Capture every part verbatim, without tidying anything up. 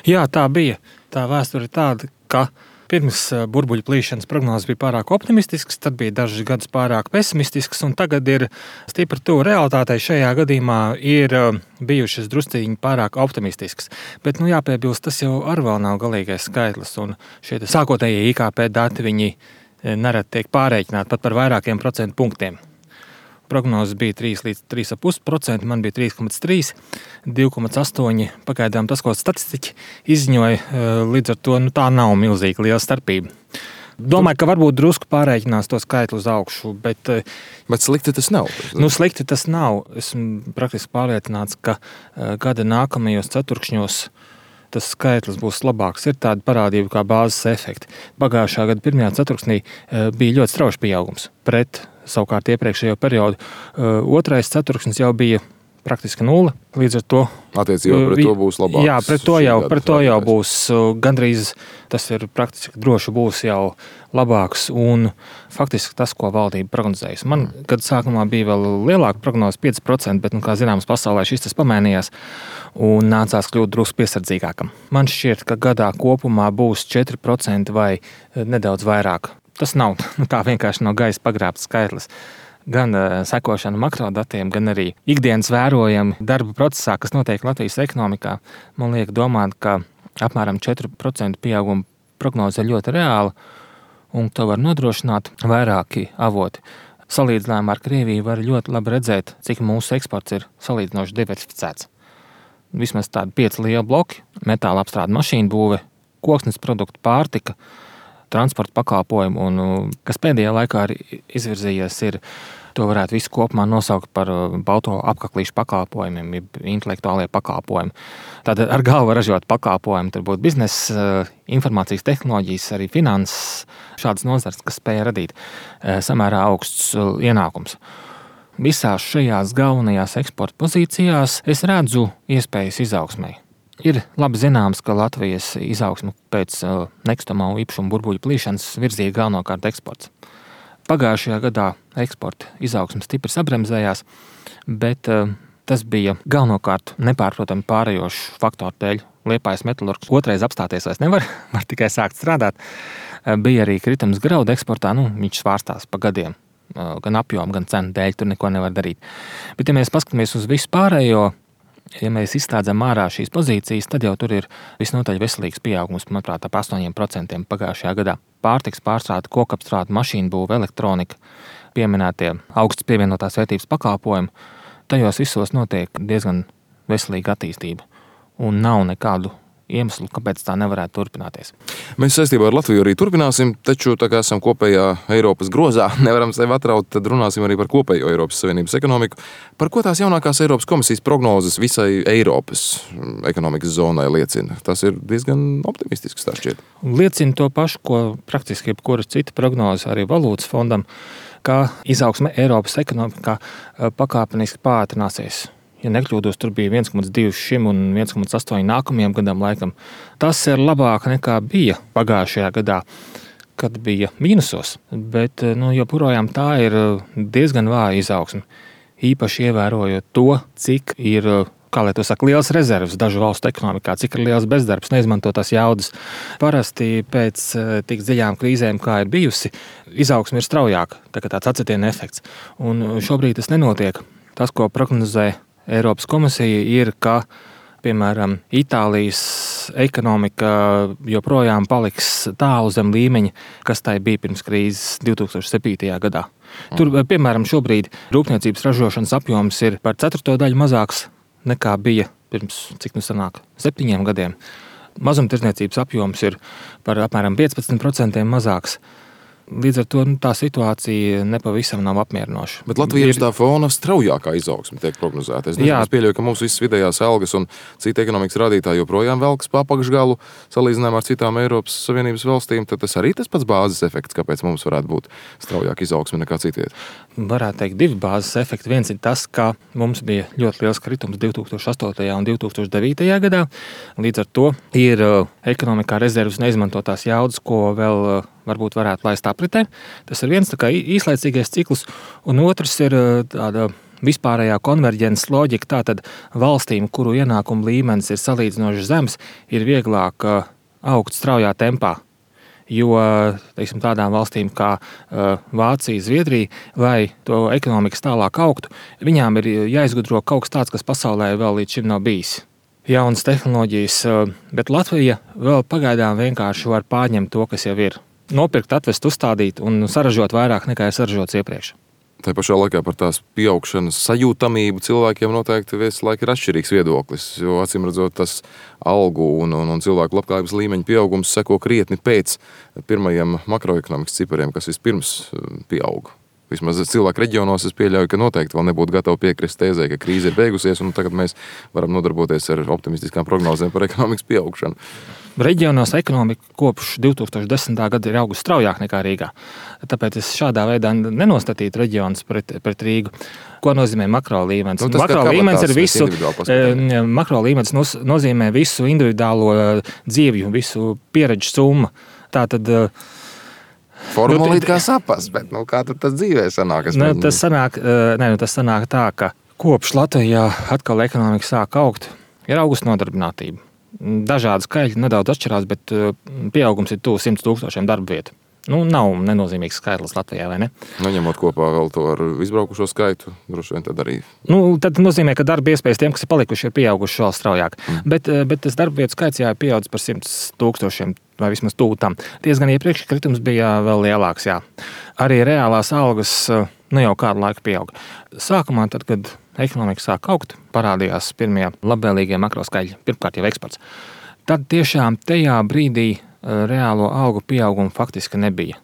Jā, tā bija. Tā vēsture ir tāda, ka pirms burbuļu plīšanas prognozes bija pārāk optimistiskas, tad bija dažus gadus pārāk pesimistiskas, un tagad ir stipri tuvu realitātei. Šajā gadījumā ir bijušas drusciņi pārāk optimistiskas. Bet, nu, jāpiebilst, tas jau ar vēl nav galīgais skaitlis, un šie sākotnējie I K P dati, viņi nereti tiek pārreikināti pat par vairākiem procentu punktiem. Prognozes bija trīs līdz trīs komats pieci procenti, man bija trīs komats trīs, divi komats astoņi. Pagaidām tas, ko statistiķi izziņoja, līdz ar to nu, tā nav milzīga liela starpība. Domāju, ka varbūt drusku pārreikinās to skaitli uz augšu, bet... Bet slikti tas nav. Nu, slikti tas nav. Esmu praktiski pārliecināts, ka gada nākamajos ceturkšņos tas skaitlis būs labāks. Ir tāda parādība kā bāzes efekti. Pagājušā gada pirmajā ceturksnī bija ļoti strauji pieaugums pret savukārt iepriekšējo periodu. Otrais ceturksnis jau bija praktiski nulle. Līdz ar to... Attiecībā pret to būs labāks. Jā, pret to jau, pret to jau būs gandrīz, tas ir praktiski droši būs jau labāks un faktiski tas, ko valdība prognozējas. Man, kad sākumā bija vēl lielāka prognoze, pieci procenti, bet, nu, kā zināms, pasaulē šis tas pamainījās un nācās kļūt drusku piesardzīgākam. Man šķiet, ka gadā kopumā būs četri procenti vai nedaudz vairāk. Tas nav tā vienkārši no gaisa pagrābts skaitlis. Gan sekošana makrodatiem, gan arī ikdienas vērojami darba procesā, kas notiek Latvijas ekonomikā. Man liek domāt, ka apmēram četri procenti pieauguma prognoze ir ļoti reāla, un to var nodrošināt vairāki avoti. Salīdzinājumā ar Krieviju var ļoti labi redzēt, cik mūsu eksports ir salīdzinoši diversificēts. Vismaz tādi pieci lieli bloki – metāla apstrāde, mašīnu būve, koksnes produktu, pārtika, transporta pakalpojumu, un kas pēdējā laikā ir izvirzījies, ir to varētu visu kopumā nosaukt par balto apaklīšu pakalpojumiem, intelektuālie pakalpojumi. Tātad ar galvu ražot pakalpojumi, tur būtu biznesa, informācijas tehnoloģijas, arī finanses, šādas nozars, kas spēja radīt samērā augsts ienākums. Visās šajās galvenajās eksporta pozīcijās es redzu iespējas izaugsmai. Ir labi zināms, ka Latvijas izaugsme pēc nekustamā īpašuma burbuļu plīšanas virzīja galvenokārt eksports. Pagājušajā gadā eksporta izaugsme stipri sabremzējās, bet tas bija galvenokārt nepārprotami pārējošu faktoru dēļ. Liepājas metalurgs otrais apstāties vairs nevar, var tikai sākt strādāt. Bija arī kritums graudu eksportā, nu, viņš svārstās pa gadiem, gan apjomu, gan cenu dēļ, tur neko nevar darīt. Bet, ja mēs paskatāmies uz visu pārējo, ja mēs izslēdzam ārā šīs pozīcijas, tad jau tur ir visnotaļ veselīgs pieaugums, manuprāt, ap astoņiem procentiem pagājušajā gadā. Pārtiks pārstrāde, kokapstrāde, mašīnu būve, elektronika, pieminētie augsts pievienotās vērtības pakalpojumi, tajos visos notiek diezgan veselīga attīstība un nav nekādu iemeslu, kāpēc tā nevarētu turpināties. Mēs saistībā ar Latviju arī turpināsim, taču tā kā esam kopējā Eiropas grozā, nevaram sevi atraut, tad runāsim arī par kopējo Eiropas Savienības ekonomiku. Par ko tās jaunākās Eiropas komisijas prognozes visai Eiropas ekonomikas zonai liecina? Tas ir diezgan optimistisks, tā šķiet. Liecina to pašu, ko praktiski jebkura cita prognoze arī valūtas fondam, ka izaugsme Eiropas ekonomikā pakāpeniski pātrināsies. Ja nekļūdos, tur bija viens komats divi šim un viens komats astoņi nākamajam gadam laikam. Tas ir labāk nekā bija pagājušajā gadā, kad bija mīnusos, bet nu, joprojām tā ir diezgan vāja izaugsme. Īpaši ievērojot to, cik ir, kā lai to saka, liels rezerves dažu valstu ekonomikā, cik ir liels bezdarbs, neizmantotās jaudas. Parasti pēc tik dziļām krīzēm, kā ir bijusi, izaugsme ir straujāka, tā kā tāds acetiena efekts. Un šobrīd tas nenotiek. Tas, ko prognozē Eiropas komisija, ir, ka, piemēram, Itālijas ekonomika joprojām paliks tālu zem līmeņa, kas tai bija pirms krīzes divi tūkstoši septītajā gadā. Tur, piemēram, šobrīd rūpniecības ražošanas apjoms ir par ceturto daļu mazāks nekā bija pirms, cik nu sanāk, septiņiem gadiem. Mazumtirdzniecības apjoms ir par apmēram piecpadsmit procentiem mazāks. Līdz ar to nu, tā situācija nepavisam nav apmierinoša. Bet Latvijas ir tā fona straujākā izaugsme tiek prognozēta. Es nezinu, es pieļauju, ka mums visas vidējās algas un citi ekonomikas rādītāji joprojām velkas pa apakšgalu salīdzinājumā ar citām Eiropas Savienības valstīm. Tad tas arī tas pats bāzes efekts, kāpēc mums varētu būt straujāka izaugsme nekā citiet. Varētu teikt divi bāzes efekti. Viens ir tas, ka mums bija ļoti liels kritums divi tūkstoši astotajā un divi tūkstoši devītajā gadā. Līdz ar to ir ekonomikā rezervas neizmantotās jaudas, ko vēl varbūt varētu laist apritē. Tas ir viens tā kā īslaicīgais cikls, un otrs ir tāda vispārējā konverģences loģika, tātad valstīm, kuru ienākumu līmenis ir salīdzinoši zems, ir vieglāk augt straujā tempā. Jo teiksim, tādām valstīm kā Vācija, Zviedrija, lai to ekonomikas tālāk augtu, viņām ir jāizgudro kaut kas tāds, kas pasaulē vēl līdz šim nav bijis. Jaunas tehnoloģijas, bet Latvija vēl pagaidām vienkārši var pārņemt to, kas jau ir. Nopirkt, atvest, uzstādīt un saražot vairāk nekā ir saražots iepriekš. Tā pašā laikā par tās pieaugšanas sajūtamību cilvēkiem noteikti visu laiku ir atšķirīgs viedoklis, jo acīm redzot tas algu un, un, un cilvēku labklājības līmeņa pieaugums seko krietni pēc pirmajiem makroekonomikas cipariem, kas vispirms pieauga. Vismaz cilvēku reģionos es pieļauju, ka noteikti vēl nebūtu gatavi piekrist tēzē, ka krīze ir beigusies un tagad mēs varam nodarboties ar optimistiskām prognozēm par ekonomikas pieaugšanu. Reģionos ekonomika kopš divi tūkstoši desmitā gada ir augusi straujāk nekā Rīgā. Tāpēc es šādā veidā nenostatītu reģionus pret, pret Rīgu. Ko nozīmē makro līmenis? Nu, makro līmenis ir visu, makro līmenis nozīmē visu individuālo dzīvju, visu pieredžu summu. Tātad formulīt kā sapas, bet nu, kā tad tas dzīvē sanāk? Nu, tas, sanāk ne, nu, tas sanāk tā, ka kopš Latvijā atkal ekonomika sāk augt, ir augusta nodarbinātība. Dažādi skaitļi nedaudz atšķirās, bet pieaugums ir tuvu simts tūkstošiem darba vietu. Nu, nav nenozīmīgs skaitlis Latvijā, vai ne? Nu, ņemot kopā vēl to ar izbraukušo skaitu, droši vien tad arī. Nu, tad nozīmē, ka darba iespējas tiem, kas ir palikuši, ir pieauguši vēl straujāk. Mm. Bet, bet tas darba vietu skaits jā, ir pieaudzis par simts tūkstošiem vai vismaz tuvu tam. Diezgan iepriekš kritums bija vēl lielāks, jā. Arī reālās algas nu jau kādu laiku pieauga. Sākumā, tad, kad ekonomika sāk augt, parādījās pirmie labvēlīgie makroskaļi, pirmkārt jau eksports. Tad tiešām tajā brīdī reālo algu pieaugumu faktiski nebija.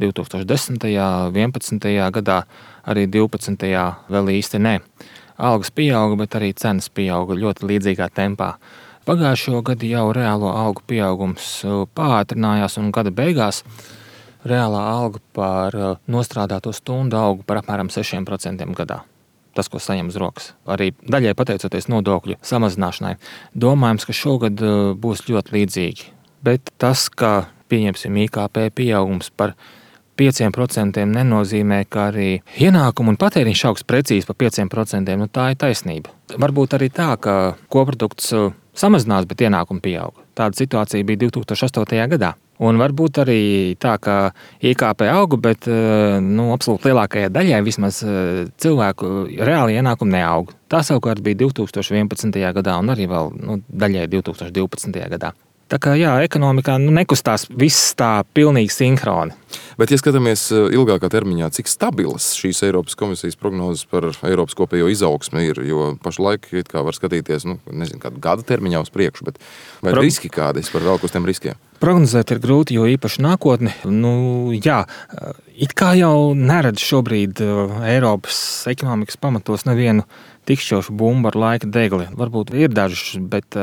divi tūkstoši desmitajā, vienpadsmitajā gadā, arī divpadsmitajā vēl īsti ne. Algas pieauga, bet arī cenas pieauga ļoti līdzīgā tempā. Pagājušo gadu jau reālo algu pieaugums pātrinājās un gada beigās reālā alga par nostrādāto stundu auga par apmēram sešiem procentiem gadā. Tas, ko saņem uz rokas. Arī daļai pateicoties nodokļu samazināšanai. Domājams, ka šogad būs ļoti līdzīgi. Bet tas, ka pieņemsim I K P pieaugums par pieciem procentiem nenozīmē, ka arī ienākumu un patēriņš augs precīzi par pieciem procentiem. Nu, tā ir taisnība. Varbūt arī tā, ka koprodukts samazinās, bet ienākumi pieauga. Tāda situācija bija divi tūkstoši astotajā gadā. Un varbūt arī tā, ka I K P auga, bet nu, absolūti lielākajai daļai vismaz cilvēku reāli ienākumi neauga. Tā savukārt bija divi tūkstoši vienpadsmitajā gadā un arī vēl nu, daļai divi tūkstoši divpadsmitajā gadā. Tā kā jā, ekonomikā nu, nekustās viss tā pilnīgi sinhroni. Bet, ja skatāmies ilgākā termiņā, cik stabilas šīs Eiropas komisijas prognozes par Eiropas kopējo izaugsmi ir, jo pašlaik it kā var skatīties, nu, nezinu, kādu gada termiņā uz priekšu, bet vai Pro... riski kādi par vēl uz tiem riskiem? Prognozēt ir grūti, jo īpaši nākotni, nu jā, it kā jau neredz šobrīd Eiropas ekonomikas pamatos nevienu tikšķošu bumbu ar laika degli. Varbūt ir dažas, bet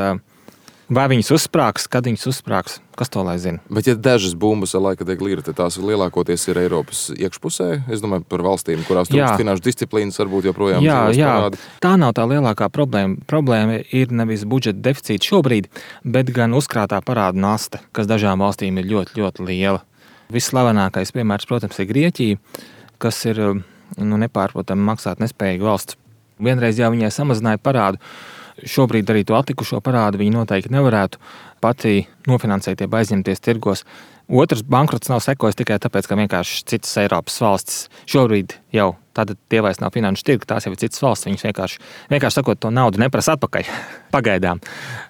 vai viņas uzsprāgs, kad viņas uzsprāgs, kas to lai zina? Bet ja dažas bumbas ar laika degli ir, tad tās lielākoties ir Eiropas iekšpusē? Es domāju par valstīm, kurās trūkst finanšu disciplīnas, varbūt joprojām jā, jā. Parādi. Tā nav tā lielākā problēma. Problēma ir nevis budžeta deficīts šobrīd, bet gan uzkrātā parāda nasta, kas dažām valstīm ir ļoti, ļoti liela. Visslavenākais piemērs, protams, ir Grieķija, kas ir nu, nepārprotami maksāt nespējīga valsts. Vienreiz jau viņai samazināja parādu. Šobrīd arī to atlikušo parādu viņi noteikti nevarētu pati nofinansēt, jeb aizņemties tirgos. Otrs bankrots nav sekojis tikai tāpēc, ka vienkārši citas Eiropas valstis šobrīd jau tātad tie vairs nav finanšu tirgi, tās jau ir citas valstis, viņas vienkārši, vienkārši sakot, to naudu neprasa atpakaļ pagaidām.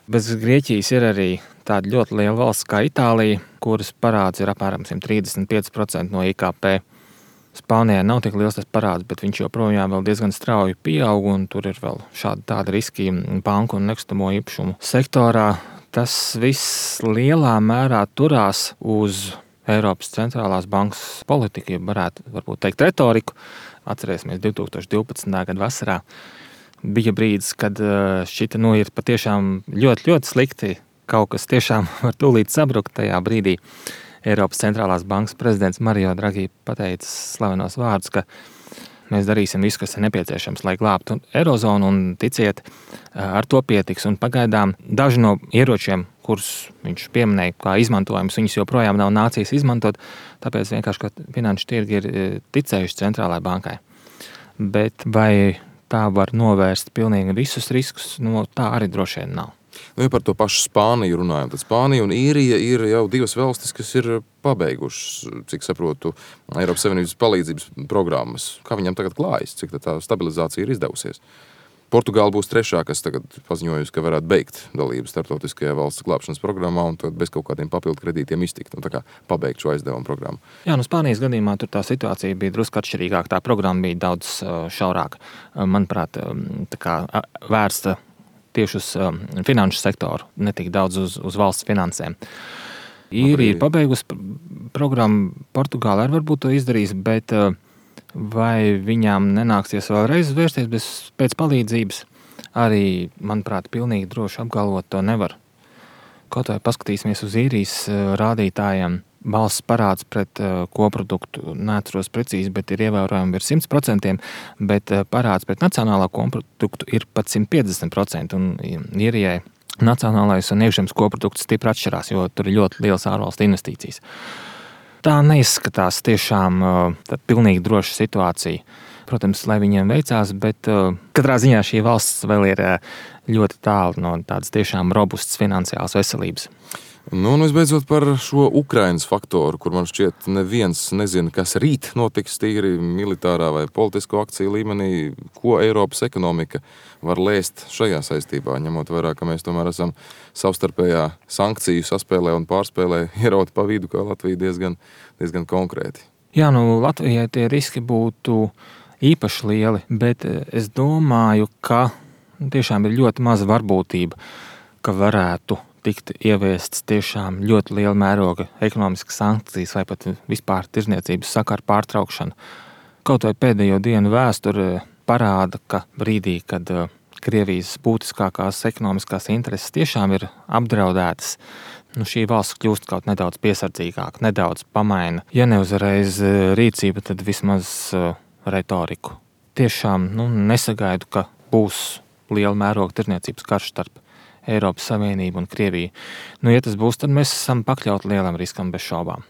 Bez Grieķijas ir arī tāda ļoti liela valsts kā Itālija, kuras parāds ir apmēram simt trīsdesmit pieci procenti no I K P. Spānijā nav tik liels tas parāds, bet viņš joprojām vēl diezgan strauji pieaug, un tur ir vēl šādi tādi riski banku un nekustamo īpašumu sektorā. Tas viss lielā mērā turās uz Eiropas centrālās bankas politiku, ja varētu varbūt teikt retoriku. Atcerēsimies divi tūkstoši divpadsmitā gada vasarā. Bija brīdis, kad šķita nu ir patiešām ļoti, ļoti slikti. Kaut kas tiešām var tūlīt sabrukt tajā brīdī. Eiropas centrālās bankas prezidents Mario Draghi pateica slavenos vārdus, ka mēs darīsim visu, kas ir nepieciešams, lai glābtu Eirozonu, un ticiet, ar to pietiks. Un pagaidām daži no ieročiem, kurus viņš pieminēja kā izmantojums, viņus joprojām nav nācijas izmantot, tāpēc vienkārši, ka finanšu tirgi ir ticējuši centrālajai bankai. Bet vai tā var novērst pilnīgi visus riskus, no tā arī droši vien nav. Nu, ja par to pašu Spāniju runājam, tad Spānija un Īrija ir jau divas valstis, kas ir pabeigušas, cik saprotu, Eiropas Savienības palīdzības programmas. Kā viņam tagad klājas, cik tā stabilizācija ir izdevusies? Portugāla būs trešā, kas tagad paziņojusi, ka varētu beigt dalību starptautiskajā valsts glābšanas programmā un tad bez kaut kādiem papildu kredītiem iztikt un tā kā pabeigt šo aizdevumu programmu. Jā, nu Spānijas gadījumā tur tā situācija bija drusku atšķirīgāka. Tā programma bija daudz šaurāka. Manuprāt, tā kā vērsta tieši uz finanšu sektoru, ne tik daudz uz, uz valsts finansēm. Īrija ir pabeigusi programmu, Portugāla arī varbūt to izdarīs, bet vai viņām nenāksies vēlreiz vērsties bez, pēc palīdzības, arī, manuprāt, pilnīgi droši apgalvot to nevar. Kaut vai paskatīsimies uz Īrijas rādītājiem, valsts parāds pret koproduktu, neatceros precīzi, bet ir ievērojami ir simt procenti, bet parāds pret nacionālā koproduktu ir pat simt piecdesmit procenti, un Īrijai nacionālais un iekšzemes koprodukts stipri atšķirās, jo tur ir ļoti liels ārvalstu investīcijas. Tā neizskatās tiešām tā pilnīgi droša situācija. Protams, lai viņiem veicās, bet katrā ziņā šī valsts vēl ir ļoti tālu no tādas tiešām robustas finansiālas veselības. Nu, un visbeidzot par šo Ukrainas faktoru, kur man šķiet neviens nezina, kas rīt notiks tīri militārā vai politisko akciju līmenī, ko Eiropas ekonomika var lēst šajā saistībā, ņemot vērā, ka mēs tomēr esam savstarpējā sankciju saspēlē un pārspēlē ierauti pa vidu, kā Latvija diezgan, diezgan konkrēti. Jā, nu Latvijai tie riski būtu īpaši lieli, bet es domāju, ka tiešām ir ļoti maza varbūtība, ka varētu tikt ieviestas tiešām ļoti liela mēroga ekonomiskas sankcijas vai pat vispār tirzniecības sakaru pārtraukšana. Kaut vai pēdējo dienu vēsture parāda, ka brīdī, kad Krievijas būtiskākās ekonomiskās intereses tiešām ir apdraudētas, nu šī valsts kļūst kaut nedaudz piesardzīgāka, nedaudz pamaina. Ja ne uzreiz rīcība, tad vismaz retoriku. Tiešām nu, nesagaidu, ka būs liela mēroga tirzniecības karš starp Eiropas Savienību un Krieviju. Nu, ja tas būs, tad mēs esam pakļauti lielam riskam bez šaubām.